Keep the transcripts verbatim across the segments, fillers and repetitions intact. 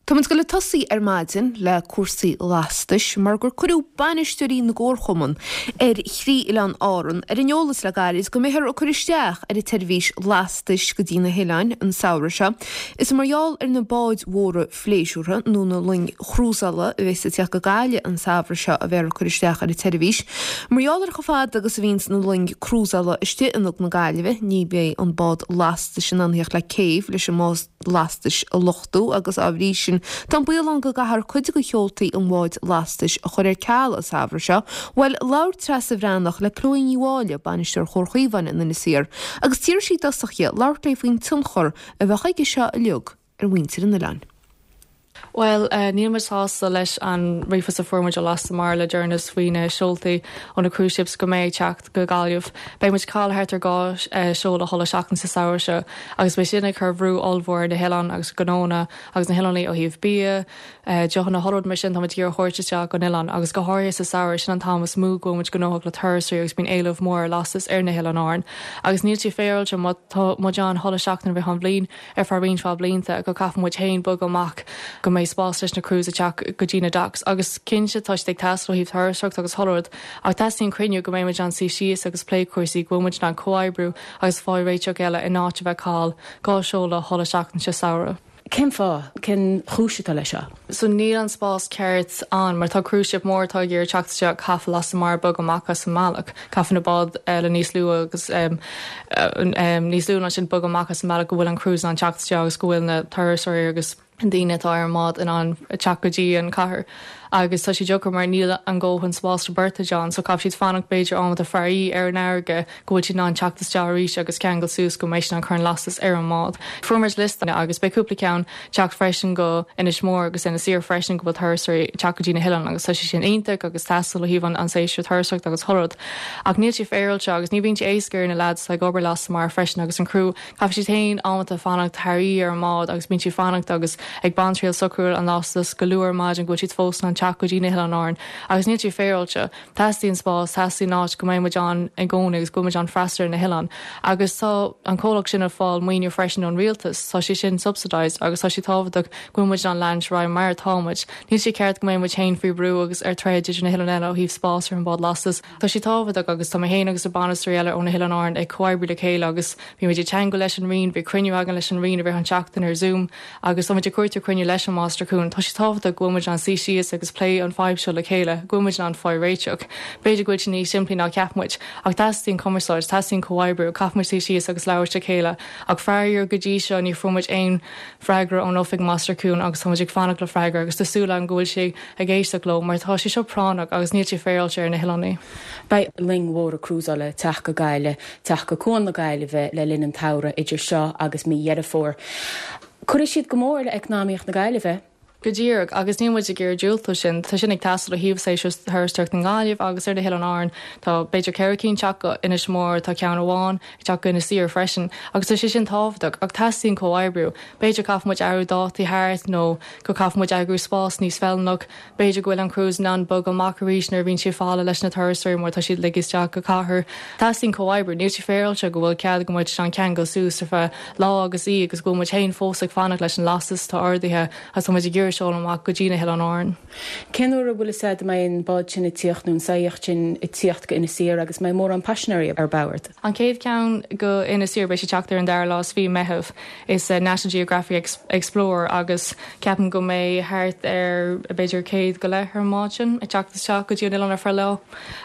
Táimid ag dul ag tosaí ar maidin le cúrsaí lastais mar gur cuireadh bainisteoirí na gcomharchumann ar thrí oileán Árann ar an eolas le gairid go mbeifear ag cur isteach ar an tseirbhís lastais go dtí na hoileáin an samhradh seo. Is mar gheall ar na báid mhóra phléisiúrtha nó na loing chrúsála a bheas ag teacht go Gaillimh an samhradh seo a bheifear ag cur isteach ar an tseirbhís. Mar gheall ar chomh fada agus a bhíonns na loing crúsála istigh in Aga na Gaillimhe, ní bheidh an bád lastais in ann theacht le céibh leis an mbád lastais a luchtú agus á bhrí sin Tá an baol ann go gcaithfear cuid de sheoltaí an bháid lastais a chur ar ceal an samhradh seo. Bhuel, labhair Treasa Bhreathnach le Chloe Ní Mháille, bainisteoir Chomhar Chaomháin in Inis Oírr, agus d'iarr sí i dtosach uirthi labhairt léi faoin tionchar a bheadh aige seo uilig ar mhuintir an oileáin. Well, uh, níl muid sásta leis an ríomhphost a fuair muid ó Lasta Mara le deireanas faoi na seoltaí ó na cruise ships go mbeidh teacht go Gaillimh. Beidh muid ag cailleadh thart ar dhá uh, seoladh chuile seachtain sa samhradh seo, agus beidh sin ag cur brú ollmhór na hoileáin agus gnónna agus na hoileánaigh ó thaobh bia, uh, deochanna chuile rud mar sin tá tír chuairt isteach go oileán, agus go háirithe sa samhradh sin an t-am is mó go muid gnóthach le turasóirí agus bíonn éileamh mór lastas ar na hoileáin Árann. Agus níl sé féaráilte muid ann chuile seachtain i rith an bhliain ar feadh roinnt mhaith blianta go gcaithfidh muid féin bogadh amach go mbeidh spás leis na cruise teacht go dtí na docks agus cinnte tá ag teastáil ó thaobh turasóireacht agus chuile rud ach teastaíonn cruinniú go mbeidh muid ann suí síos agus plé cúrsaí go bhfuil muid in ann comhoibriú agus fáil réiteach eile in áit a bheith ag cailleadh dhá seoladh chuile seachtain sa samhradh. Cén fáth cén chúis atá leis seo? So níl an spás ceart ann mar tá cruise ship mór atá ag iarraidh teacht isteach caithfidh Lasta Mara bogadh amach as an mbealach, Caithfidh na báid le níos lú agus um, um, níos lú ná sin bogadh amach as an mbealach go bhfuil an cruise an teacht isteach agus go bhfuil na turasóirí agus daoine atá ar an mbád in ann teacht go dtí an cathair. agus tá sé deacair mar níl an dóthain spás bertha ann, so caithfidh siad fanacht b'fhéidir am faraí ar an fharraige go bhfuil siad in ann teacht isteach arís agus ceangal suas go mbeidh an chun lastas ar an mbád. Fuair muid liosta agus beidh cúpla ceann teacht freisin go Inis Mór agus Inis Oírr freisin go bhfuil turasóirí teacht go dtí na hoileáin agus tá sé sin iontach agus teastáil ó thaobh an an séasúr turasóireacht agus chuile rud. Ach níl sé féaráilte agus ní bhíonn sé éasca ar na lads ag obair Lasta Mara freisin agus an crew caithfidh siad féin amanta fanacht thar oíche ar an mbád agus bíonn siad fanacht agus ag baint triail socrú an lastas go luath ar maidin go bhfuil siad fós an teacht go dtí na hoileáin Árann agus níl sé féaráilte teastaíonn spás teastaíonn áit go mbeidh muid ann i gcónaí agus go muid ann freastal ar na hoileáin. Agus tá an comhlacht sin ag fáil maoiniú freisin ón rialtas, tá sé sin subsidized agus tá sé tábhachtach go muid an lean ra mar támuid. Níl sé ceart go mbeidh muid féin faoi brú agus ar troid idir na hoileáin eile ó thaobh spás ar an bád lastas. Tá sé tábhachtach agus tá mé féin agus a bainisteoirí eile ó na hoileáin Árann ag comhoibriú le chéile agus bhí muid ag teagmháil leis an Roinn, bhí cruinniú againn leis an Roinn a bheith an seachtain ar Zoom agus tá muid ag cuartú cruinniú leis an Máistir Cuain. Tá sé tábhachtach go bhfuil muid ann suí síos agus plé an fadhb seo le chéile, go bhfuil muid ann fáil réiteach. B'fhéidir go bhfuil sé níos simplí ná ceap muid, ach teastaíonn cumarsáid, teastaíonn comhoibriú, caithfidh muid suí síos agus labhairt le chéile, ach faraor go dtí seo ní fuair muid aon freagra ón oifig Máistir Cuain agus tá muid ag fanacht le freagra agus tá súil agam go bhfuil sé ag éisteacht leo mar tá sé seo práinneach agus níl sé féaráilte ar na hoileánaigh. Beidh loing mhóra crúsála teacht go Gaillimh, teacht go Cuan na Gaillimhe le linn an tsamhraidh idir seo agus mí Dheireadh Fómhair. Cuirfidh siad go mór le eacnamaíocht na Gaillimhe. Go díreach agus ní muid ag iarraidh diúltú sin tá sin ag teastáil ó thaobh séasúr turasóireacht na Gaillimh agus ar na hoileáin Árann tá b'fhéidir ceithre cinn teacht go Inis Mór tá ceann amháin ag teacht go Inis Oírr freisin agus tá sé sin tábhachtach ach teastaíonn comhoibriú. B'fhéidir caithfidh muid athrú dátaí thart nó go caithfidh muid eagrú spás níos feiliúnach, B'fhéidir go bhfuil an cruise in ann bogadh amach arís nuair a bhíonn sé fála leis na turasóirí mar tá siad ag isteach go cathair. Teastaíonn comhoibriú, níl sé féaráilte go bhfuil cead go muid an ceangal suas ar feadh lá agus í agus go bhfuil muid féin fós ag fanacht leis an lastas tá ordaithe agus tá muid ag iarraidh seoladh amach go dtí na hoileáin Árann. Cén uair a bhfuil a fhios mbeidh an bád sin ag tíocht nó an saíocht sin ag tíocht go Inis Oírr agus mbeidh mórán paisinéirí ar bord. An chéad ceann go Inis Oírr beidh sé teacht ar an dara lá is fiche Meitheamh is uh, National Geographic Explorer agus ceapaim go mbeidh thart ar b'fhéidir céad go leith ar an mbád sin ag teacht isteach go dtí an oileán ar feadh lá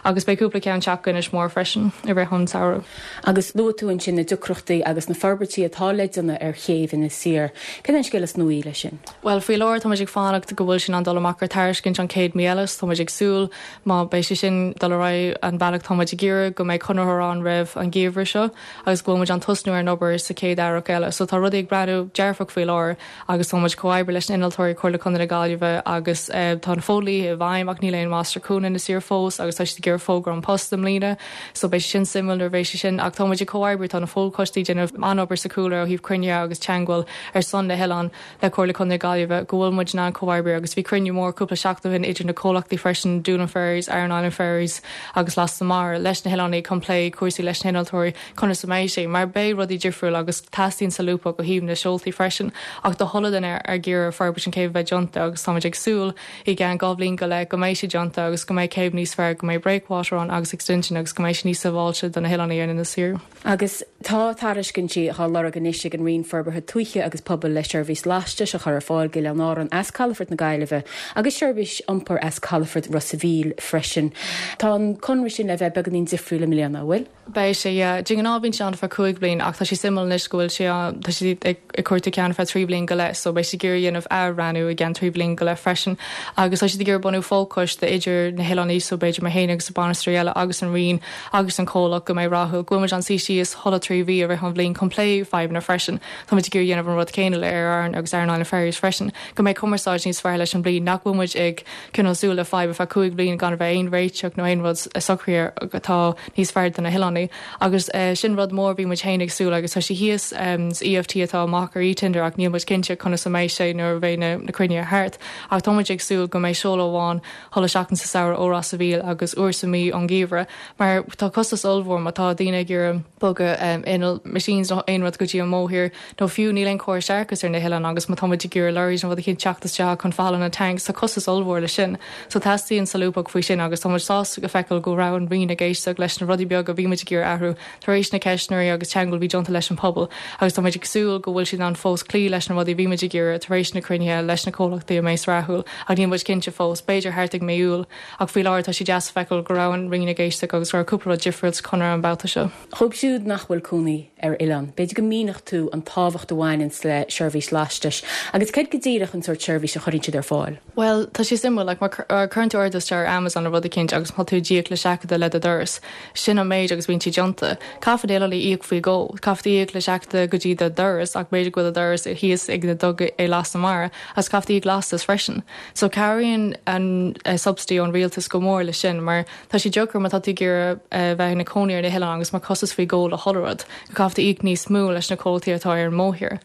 agus beidh cúpla ceann teacht go Inis Mór freisin i rith an samhradh. Agus luaigh tú ansin na deacrachtaí agus na forbairtí atá le déanamh ar chéibh Inis Oírr. Cén an scéal is nuaí leis sin? Well faoi láthair tá ag fanacht go bhfuil sin an dul amach ar tairiscint an chéad mhí eile, tá ag súil má beidh sé sin dul ar aghaidh an bealach tá ag iarraidh go mbeidh conraitheoir ann roimh an gheimhreadh seo agus go bhfuil muid an tosnú ar an obair sa chéad earrach eile. So tá rudaí ag breathnú dearfach faoi láthair agus tá muid comhoibriú leis na innealtóirí Comhairle Contae na Gaillimhe agus uh, tá an fodhlí i bhfeidhm ach níl aon Máistir Cuain in Inis Oírr fós agus tá siad ag iarraidh fógra An Post i mbliana, so beidh sin suimiúil nuair bheidh sé sin ach tá muid ag comhoibriú tá na fo-choistí déanamh an-obair sa chúlra ó thaobh cruinniú agus teagmháil ar son na hoileán le Comhairle Contae na Gaillimhe go bhfuil muid in ann comhoibriú agus bhí cruinniú mór cúpla seachtain ó shin idir na comhlachtaí freisin Doolin Ferries, Aran Island Ferries agus Lasta Mara leis na hoileánaigh chun plé cúrsaí leis na hinnealtóirí conas a mbeidh sé mar beidh rudaí difriúil agus teastaíonn solúbthacht ó thaobh na seoltaí freisin ach do chuile dhuine ag iarraidh forbairt an céibh bheith déanta agus táimid ag súil i gceann dhá bhliain go leith go mbeidh sé déanta agus go mbeidh céibh níos fearr go mbeidh breakwater ann agus extension agus go mbeidh sé níos sábháilte do na hoileánaigh ar Inis Oírr. Agus tá tairiscintí á lorg anois ag an Roinn Forbartha Tuaithe agus Pobail le seirbhís lastais a chur ar fáil go Oileáin Árann as Calafort na Gaillimhe agus seirbhís iompair as Calafort Ros a' Mhíl freisin. Tá an conradh sin le bheith beagáinín difriúil i mbliana bhfuil? Beidh sé de ghnáth bíonn sé ann feadh cúig bliain ach tá sé suimiúil anois go bhfuil sé tá sé ag cuartú ceann feadh trí bliain go leith, so beidh sé ag iarraidh dhéanamh athbhreithniú i gceann trí bliain go leith freisin. Agus tá siad ag iarraidh bunú fochoiste idir na hoileánaigh so b'fhéidir mé féin agus bainisteoirí eile agus an Roinn agus an comhlacht go mbeidh rathúil go bhfuil muid ag suí síos chuile trí mhí i rith an bhliain chun plé fadhbanna freisin. Tá muid ag iarraidh dhéanamh an rud céanna le Aer Arann agus Aran Island Ferries freisin, go mbeidh cumarsáid níos fearr leis an bhliain nach bhfuil muid ag cineál súil le fadhb feadh cúig bliain gan bheith aon réiteach nó aon rud socraithe atá níos fearr do na hoileánaigh. agus uh, sin rud mór bhí muid féin ag súil agus tá sé thíos um, EFT atá amach ar e-tender ach níl muid cinnte conas a mbeidh sé nuair a bheidh na, na cruinnithe thart. Ach tá muid ag súil go mbeidh seoladh amháin chuile seachtain sa samhradh ó Ros a' Mhíl agus uair sa mí ón ngeimhreadh, mar tá costas ollmhór má tá daoine ag iarraidh bogadh um, inneall machines nó aon rud go dtí an mórthír nó fiú níl aon chóras séarachais ar na hoileáin agus má tá muid ag iarraidh lorries nó rud éicint teacht isteach chun fáil na tanks tá costas ollmhór le sin. So teastaíonn solúbthacht faoi sin agus tá muid sásta go feiceáil go raibh an Roinn ag éisteacht leis na rudaí beaga bhí muid ag iarraidh athrú tar éis na ceistneoirí agus teagmháil bhí déanta leis an pobal agus tá muid ag súil go bhfuil siad an fós cloí leis na rudaí bhí muid ag iarraidh tar éis na cruinnithe leis na comhlachtaí a mbeidh rathúil ach níl muid cinnte fós b'fhéidir thart ag mí Iúil ach faoi láthair tá sé deas feiceáil go raibh an Roinn ag éisteacht agus go raibh cúpla rud difriúil sa chonradh an babhta seo. Dóibh siúd nach bhfuil cónaí ar oileán. B'fhéidir go míneodh tú an tábhacht a bhaineann le seirbhís lastais, agus cad go díreach an sórt seirbhís a chuireann siad ar fáil. Well, tá sé suimiúil like, mar cuireann tú ordú ar Amazon nó rud éicint agus má tú ag íoc le seachadadh le do doras. Sin an méid agus bíonn sé déanta. Caithfidh oileánaigh íoc faoi dhó, Caithfidh íoc le seachadadh go dtí do doras ach b'fhéidir go bhfuil doras thíos ag na duga é Lasta Mara as caithfidh íoc lastas freisin. So cabhraíonn an uh, subsidy ón rialtas go mór le sin, mar tá sé deacair má tá tú ag iarraidh uh, bheith ina cónaí ar na hoileáin agus mar costas faoi dhó le chuile rud, caithfidh íoc níos mó leis na comhlachtaí atá ar an mórthír.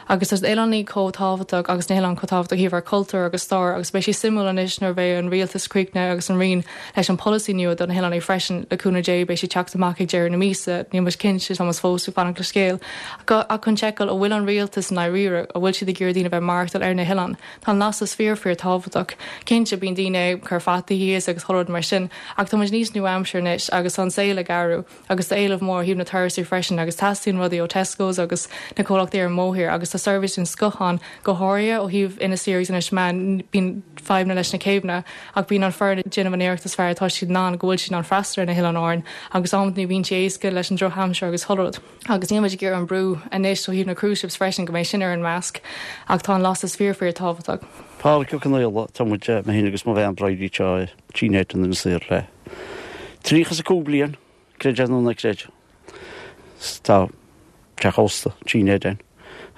Agus tá oileánaigh chomh tábhachtach agus na hoileáin chomh tábhachtach ó thaobh cultúr agus stair agus beidh sé suimiúil anois nuair bheidh an rialtas críochnaithe agus an Roinn leis an polasaí nua do na hoileánaigh freisin le cúnamh Dé beidh sé teacht amach ag deireadh na míosa níl muid cinnte tá fós ag fanacht le scéal. ach chun seiceáil an bhfuil an rialtas dáiríre an bhfuil siad ag iarraidh daoine bheith maireachtáil ar na hoileáin. Tá lastas fíor fíor tábhachtach. Cinnte bíonn daoine cur fataí thíos agus chuile rud mar sin, ach tá muid níos nua-aimseartha anois agus an saol ag athrú agus tá éileamh mór ó thaobh na turasóirí freisin agus teastaíonn rudaí ó Tesco's agus na comhlachtaí ar an mórthír agus tá seirbhís den scoth ann go háirithe ó thaobh Inis Oírr Inis Meáin bíonn fadhbanna leis na céibheanna ach bíonn an foireann ag déanamh an iarracht is fearr atá siad ná go bhfuil siad an freastal ar na hoileáin Árann agus am ní bhíonn sé éasca leis an drochaimsir agus chuile rud. Agus níl muid ag iarraidh an brú anois ó thaobh na cruise ships freisin go mbeidh sin ar an measc ach tá an lastas fíor fíor tábhachtach. Pádraic Ó Conaola tá muid mé féin agus mo bhean Bridie anseo Tigh Ned in Inis Oírr le. Tríocha is a cúig bliain creid é nó ná creid. Tá teach ósta Tigh Ned ann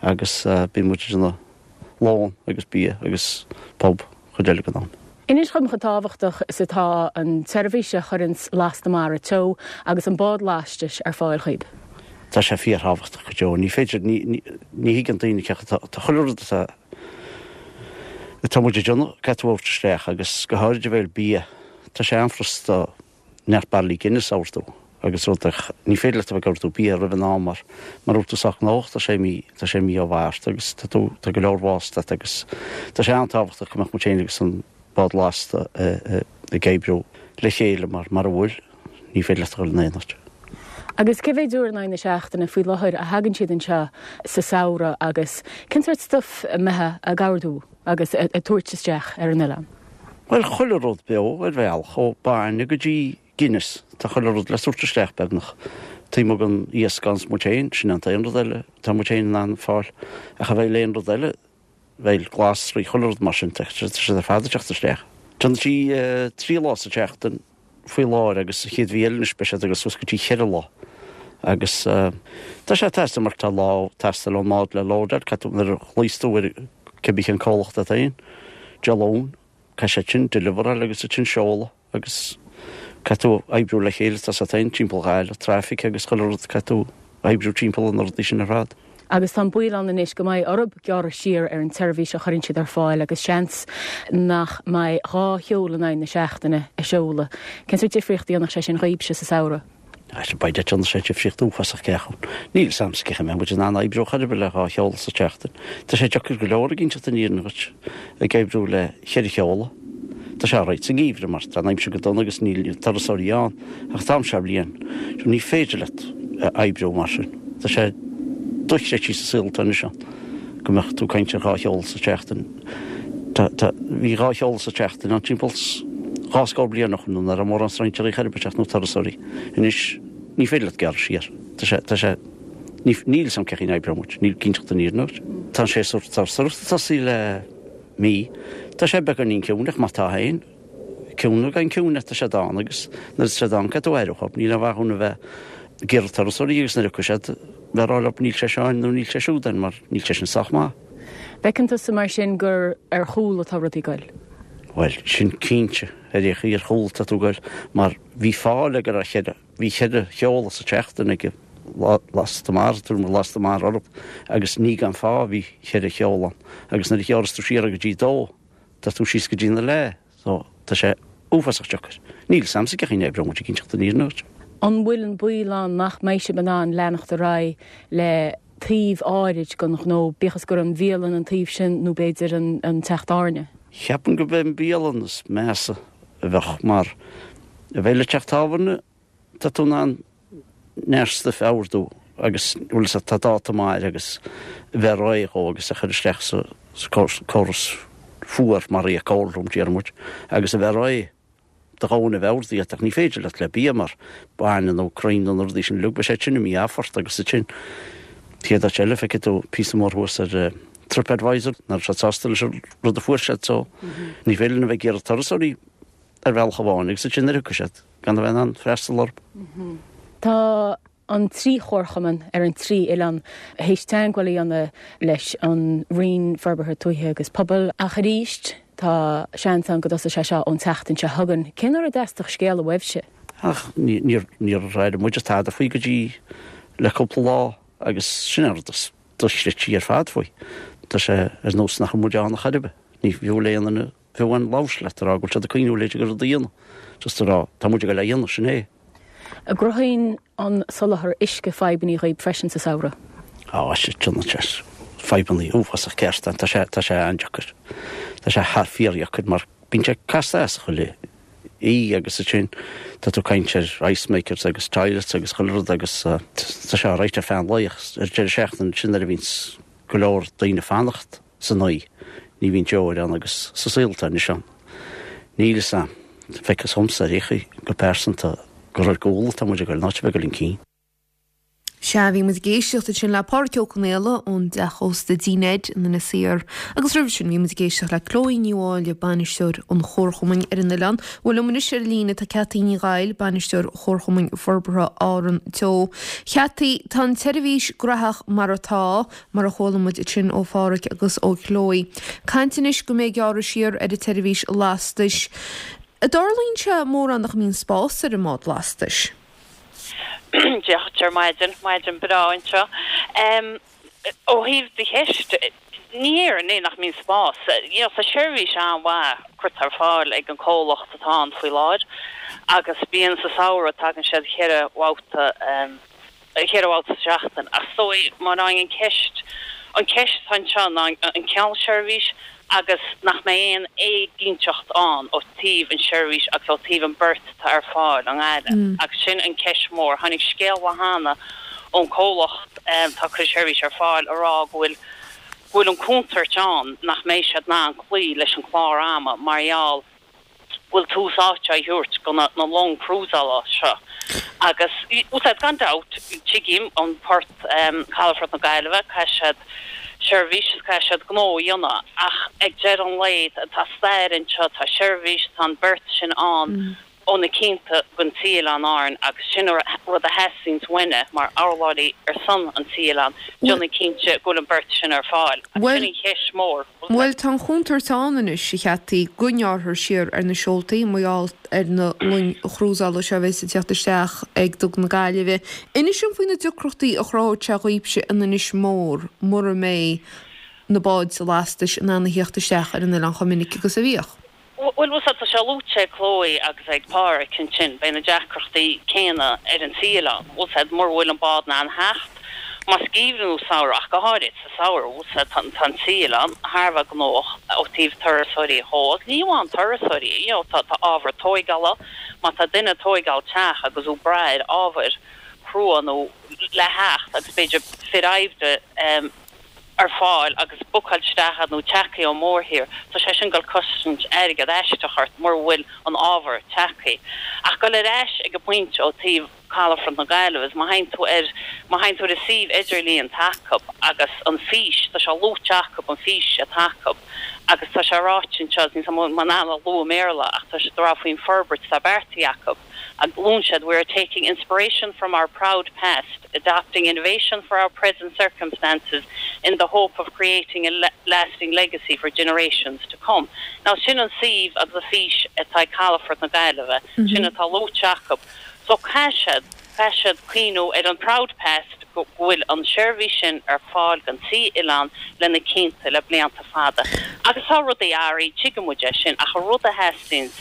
agus uh, bíonn muid ina lón agus bia agus pub chuid eile go ná. Inis chum chomh tábhachtach is atá an tseirbhís a chuireann Lasta Mara Teo agus an bád lastais ar fáil chuid. Tá sé fíorthábhachtach go deo, ní féidir ní thuigeann daoine tá chuile rud atá Tá muid ag déanamh caithfidh tú isteach agus go háirithe bhfuil bia Tá sé an-fhurasta neart bairillí Guinness a ordú agus rud ní féidir leat a bheith ag ordú bia roimh an am mar mar tú sách nócht tá sé mí tá sé mí ó Mhárta agus tá tú tá go leor bhásta agus tá sé an-tábhachtach go mbeadh muid féin agus an bád lasta ag oibriú le chéile mar mar a bhfuil ní féidir leat a dhul in aon áit. Agus cé mhéad uair in aghaidh na seachtaine faoi láthair a thagann siad anseo sa samhradh agus cén sórt stuif a mbíonn ag ordú agus a tabhairt isteach ar an oileán. Well chuile rud beo ar bhealach ó bainne go dtí Guinness tá chuile rud le tabhairt isteach beagnach. Tá an iasc gan muid féin sin an t-aon rud eile tá muid féin an fáil a cha bheith léon rud eile bheil glasraí chuile rud mar sin sé ar fad ag teacht isteach. Tá sí trí lá sa tseachtain faoi láthair agus chéad mhí eile speisialta agus suas go dtí ceithre lá. Agus tá sé teasta mar tá lá teastáil ón mbád le lódáil cad ar chlíostú cibé an comhlacht atá aon, Jalón, ca sé sin deliveráil agus sin seoladh agus caithfidh tú oibriú le chéile tá sa tain timpeall gáil traffic agus chuile rud caithfidh tú oibriú timpeall an rudaí sin ar fad. Agus tá an baol ann anois go mbeidh orthu gearradh siar ar an tseirbhís a chuireann siad ar fáil agus seans nach mbeidh dhá sheoladh in aghaidh na seachtaine a seoladh. Cén sórt difríocht a dhéanfadh sé sin dhaoibhse sa samhradh? Sea, beidh déanfaidh sé difríocht uafásach ceapaim. Níl 'fhios a'msa cén chaoi a mbeidh muid in ann oibriú chor ar bith le dhá sheoladh sa tseachtain. Tá sé deacair go leor ag inseacht an fhírinne dhuit, ag oibriú le cheithre sheoladh. Tá sé alright sa ngeimhreadh mar tá an aimsir go dona agus níl turasóirí ann, ach an t-am seo bliain, ní féidir leat oibriú mar sin. Tá sé dochreidte sa saol atá anois ann go mbeadh tú ag caint ar dhá sheoladh sa tseachtain. Tá, tá, bhí dhá sheoladh sa tseachtain ann timpeall dhá scór bliain ó shin nuair nach raibh mórán strainséirí chor ar bith ag teacht nó turasóirí. Anois ní féidir leat gearradh siar. Tá sé, tá sé, ní, níl 'fhios a'm cén chaoi a n-oibreoidh muid, níl ag inseacht an fhírinne duit. Tá an séasúr turasóireachta ag tosaí le mí. Tá sé beagáinín ciúin ach má tá féin, ciúin nó gan ciúine, tá sé ann agus nuair atá sé ann caithfidh tú aire a thabhairt. Níl aon mhaith dhúinn a bheith ag iarraidh turasóirí agus nuair a thiocfaidh siad bheith ag rá leo níl sé seo ann nó níl sé siúd ann mar níl sé sin sách maith. Feiceann tusa mar sin gur ar chúl atá rudaí ag goil? Bhuel, sin cinnte, ar aon chaoi ar chúl atá tú ag goil mar bhí fáth le go raibh cheithre, bhí cheithre sheoladh sa tseachtain ag Lasta Mara, tuairim Lasta Mara orthu agus ní gan fáth a bhí cheithre sheoladh ann agus nuair a ghearras tú siar go dtí dó, tá tú síos go dtí na leath, so tá sé uafásach deacair. Níl 'fhios a'msa cén chaoi a n-oibreoidh muid ag inseacht an fhírinne duit. An bhfuil an baol ann nach mbeidh sibh in ann leanacht ar aghaidh le taobh áirid den ghnó, bíodh is gur an bhialann an taobh sin nó b'fhéidir an, an teach tábhairne? Cheapaim go b'é an bialann is measa a bheadh mar a bheith le teach tábhairne, tá tú in ann neart stuif a ordú agus bhfuil 'fhios agat tá dáta maith air agus a bheith réidh dhó agus a chur isteach sa, sa córas fuar mar é cold room déarfaidh muid agus a bheith réidh do dhaoine a bheith ordaithe ach ní féidir leat le bia mar bainne nó crainn nó na rudaí sin uilig beidh sé sin imithe ort agus ansin chéad áit eile feicfidh tú píosa mór thuas ar TripAdvisor nach raibh siad sásta leis an rud a fuair siad so ní féidir linn a bheith ag iarraidh turasóirí ar bhealach amháin agus ansin nuair a thiocfaidh siad gan a bheith in ann freastal orthu. Tá an trí chomharchumann ar an trí oileán théis teagmháil a dhéanamh leis an Roinn Forbartha Tuaithe agus Pobail ach arís tá seans ann go dtosóidh sé seo ón tseachtain seo chugainn. Cén uair a dteastódh scéala uaibhse? Ach níor níor airigh muid tada faoi go dtí le cúpla lá agus sin an rud is dochreidte ar fad faoi. Tá sé ar nós nach bhfuil muid ann chor ar bith. Ní fiú le aon duine fiú amháin labhairt leat a rá go bhfuil siad ag cuimhniú le go rud a dhéanamh. Just a rá tá muid ag dul a dhéanamh sin é. An gcruthaíonn an soláthar uisce fadhbanna dhaoibh freisin sa samhradh? Á sé sé fadhbanna uafásach ceart tá sé tá sé an-deacair. Tá sé thar fíordheacair mar bíonn sé casta as chuile í agus ansin tá tú ag caint ar ice makers agus toilets agus chuile rud agus uh, tá sé alright ar feadh an lae ar deireadh seachtaine sin nuair a bhíonn go leor daoine fanacht san oíche ní bhíonn deoir ann agus sa saol atá anois ann. Níl 'fhios a'm feictear dhomsa ar aon chaoi go pearsanta gur ar gcúl atá muid ag goil ná bheith go cinn. Sea bhí muid ag éisteacht ansin le Pádraic Ó Conaola ón dteach ósta Dí Ned in Inis Oírr. Agus roimhe sin bhí muid ag éisteacht le Chloe Ní Mháille bainisteoir an Chomharchumainn ar an oileán. Bhuel liom anois ar líne tá Ceataí Ní Ghail, bainisteoir Chomharchumainn Forbartha Árann Teo. Ceataí tá an tseirbhís gnóthach mar atá mar a chuala muid sin ó Phádraic agus ó Chloe. Caint anois go mbeidh gearradh siar ar an tseirbhís lastais. An dtarlaíonn sé mórán nach mbíonn spás ar an mbád lastais. Dia dhuit ar maidin maidin breá anseo. Um, ó thaobh do cheist ní é nach mbíonn spás. You know, tá seirbhís an-mhaith curtha ar fáil ag an comhlacht atá ann faoi láthair agus bíonn sa samhradh tagann siad ceithre bhabhta um, ceithre bhabhta seachtain. Ach so mar an ceist an ceist anseo ná an ceann seirbhís agus nach mbeidh aon éiginnteacht ann ó taobh an seirbhís agus ó taobh an beart atá ar fáil an aile. Mm. Agus sin an ceist mór tháinig scéal cheana ón comhlacht um, tá cur seirbhís ar fáil a rá go bhfuil bhfuil an contúirt ann nach mbeidh siad in ann cloí leis an chlár ama mar gheall bhfuil tús áite á thabhairt go na, na long cruiseála seo. Agus úsáid gan dabht tuigim an port um, Calafort na Gaillimhe caithfidh siad seirbhís caithfidh siad gnó a dhéanamh ach ag deireadh an lae tá stair anseo tá seirbhís tá an beart sin ann mm. ó na cianta gon trí Oileán Árann agus sin rud a theastaíonn uainne mar urlabhraí ar son an trí oileán, déanamh cinnte go bhfuil an beart sin ar fáil. Agus sin an cheist mhór. Bhuel, tá an chontúirt ann anois, a Cheataí, go ngearrfar siar ar na seoltaí mar gheall ar na loing chrúsála seo a bheas ag teacht isteach ag Duga na Gaillimhe. Inis dom faoi na deacrachtaí a chruthóidh sé dhaoibhse in Inis Mór mura mbeidh na báid lastais in ann a theacht isteach ar an oileán chomh minic agus a bhíodh. Bhuel, bhfuil tá sé luaite ag Chloe agus ag Páraic ansin, beidh na deacrachtaí céanna ar an trí oileán, bhfuil 's a'd, mura bhfuil an bád in ann theacht, más geimhreadh nó samhradh, ach go háirid sa samhradh, bhfuil 's a'd, tá tá an trí oileán thar a bheith gnóthach ó thaobh turasóirí dhó, agus ní amháin turasóirí, you know, tá tá ábhar tóigeála, má tá duine ag tóigeáil teach agus ag brath ar ábhair chrua nó le theacht agus b'fhéidir fir oibre em, ar fáil agus bookáil isteach iad nó tagtha ón mórthír, tá sé sin ag dul cosaint airgead aisteach ort mura bhfuil an ábhar tagtha. Ach dul ar ais ag an bpointe ó taobh Calafort na Gaillimhe is má théann tú ar, má théann tú ar an suíomh idirlíon atá acu agus an fís, tá sé luaite acu an fís atá acu agus tá sé ráite anseo, níl 's a'm an bhfuil mé in ann a lua i mBéarla ach tá sé ag rá faoin forbairt atá beartaithe acu agus luann siad we are taking inspiration from our proud past adapting innovation for our present circumstances in the hope of creating a lasting legacy for generations to come. Now sin an suíomh agus an fís atá ag Calafort na Gaillimhe, sin atá luaite acu. So caithfidh siad, caithfidh siad cuimhniú ar an proud past go bhfuil an seirbhís sin ar fáil don trí oileán le na cianta, le blianta fada. Agus tá rudaí athraithe, tuigeann muid é sin, ach an rud a theastaíonn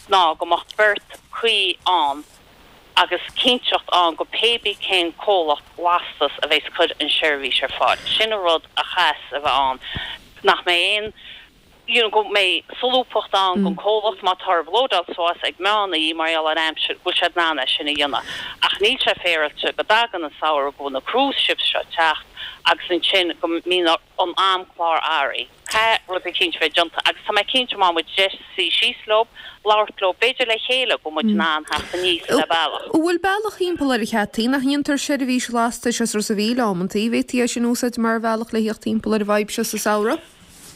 ná go mbeadh beart cuí ann agus cinnteacht ann go pé bí cén comhlacht lastas a bheas ag cur an seirbhís ar fáil. Sin an rud a chaithfeas a bheith ann, nach mbeidh aon, you know, go mbeidh solúbthacht ann don comhlacht má tá orthu lódáil suas ag meán oíche mar gheall ar aimsir, go bhfuil siad in ann é sin a dhéanamh. Ach níl sé féaráilte go dtagann an samhradh, go bhfuil na cruise ships seo ag teacht agus ansin go mbíonn an amchlár athraithe. Caithfidh rud eicínt bheith déanta agus tá mé cinnte má muid deis suí síos leo, labhairt leo, b'fhéidir le chéile go bhfuil muid in ann theacht aníos le bealach. An bhfuil bealach thimpeall air a Cheataí, nach ndéantar seirbhís lastais as Ros a' Mhíl amantaí? Bhféadfaí é sin a úsáid mar bhealach le theacht thimpeall ar an bhfadhb seo sa samhradh?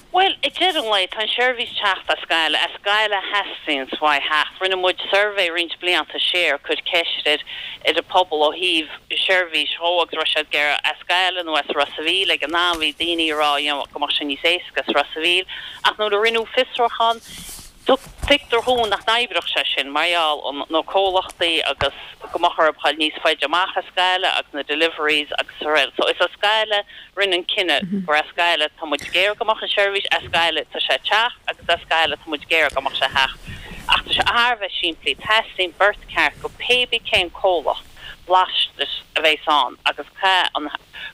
Bhuel, ag deireadh an lae, tá an seirbhís teacht as Gaillimh, as Gaillimh a theastaíonns uaidh theacht. Rinne muid suirbhé roinnt blianta siar, cur ceist ar ar an pobal ó thaobh seirbhís dhó agus raibh siad ag iarraidh as Gaillimh nó as Ros a' Mhíl. Ag an am bhí daoine ag rá you know go mbeadh sé níos éasca as Ros a' Mhíl ach nuair a rinneadh fiosrúchán, Tuigtear dhúinn nach n-oibreodh sé sin mar gheall ar na comhlachtaí agus go mbeadh orthu dhul níos faide amach as Gaillimh agus na deliveries agus araile. So is as Gaillimh, rinneadh an cinneadh gur as Gaillimh tá muid ag iarraidh go mbeadh an seirbhís, as Gaillimh tá sé ag teacht agus as Gaillimh tá muid ag iarraidh go mbeadh sé ag theacht. Ach tá sé thar a bheith simplí, teastaíonn beart ceart go pé bí cén comhlacht lastais a bheas ann agus caithfidh an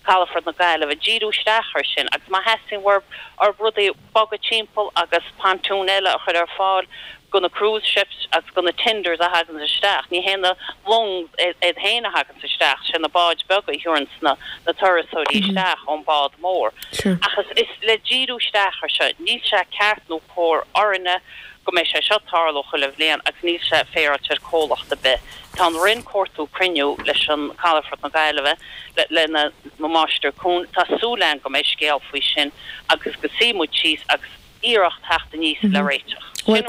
Calafort na Gaillimhe díriú isteach air sin agus má theastaíonn uathub rudaí bogadh timpeall agus pontoon eile a chur ar fáil go na cruise ships agus go na tenders a thaganns isteach. Ní hé na longs iad féin a thaganns isteach, sé na báid beaga a thabharanns na na turasóirí isteach ón bád mór. Ach is is le díriú isteach ar seo, níl sé ceart nó cóir orainne go mbeidh sé seo ag tarlú chuile bhliain agus níl sé féaráilte ar comhlacht ar bith. Tá an Roinn cuartú cruinniú leis an Calafort na Gaillimhe le le na Máistir Cuain. Tá súil againn go mbeidh scéal faoi sin agus go suífidh muid síos agus iarracht theacht aníos le réiteach. Bhuel,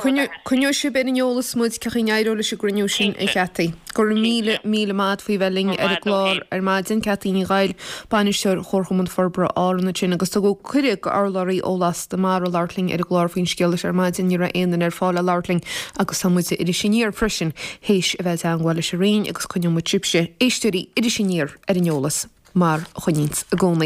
coinneoidh sibh ar an eolas muid cén chaoi a n-éireoidh leis an gcruinniú sin, a Cinnte. Cheataí. Go raibh míle, Cinnte. míle maith agat faoi bheith linn Go raibh ar an maith agat gclár féin. ar maidin. Ceataí Ní Ghaill, Bainisteoir Chomharchumann Forbartha Árann ansin agus tugadh cuireadh go urlabhraí ó Lasta Mara labhairt linn ar an gclár faoin scéal seo ar maidin. Ní raibh aon duine ar fáil le labhairt linn agus tá muid ar Iris Aniar freisin théis a bheith i dteangmháil leis an Roinn agus coinneoidh muid sibhse, éisteoirí Iris Aniar, ar an eolas mar a choinníonns i gcónaí.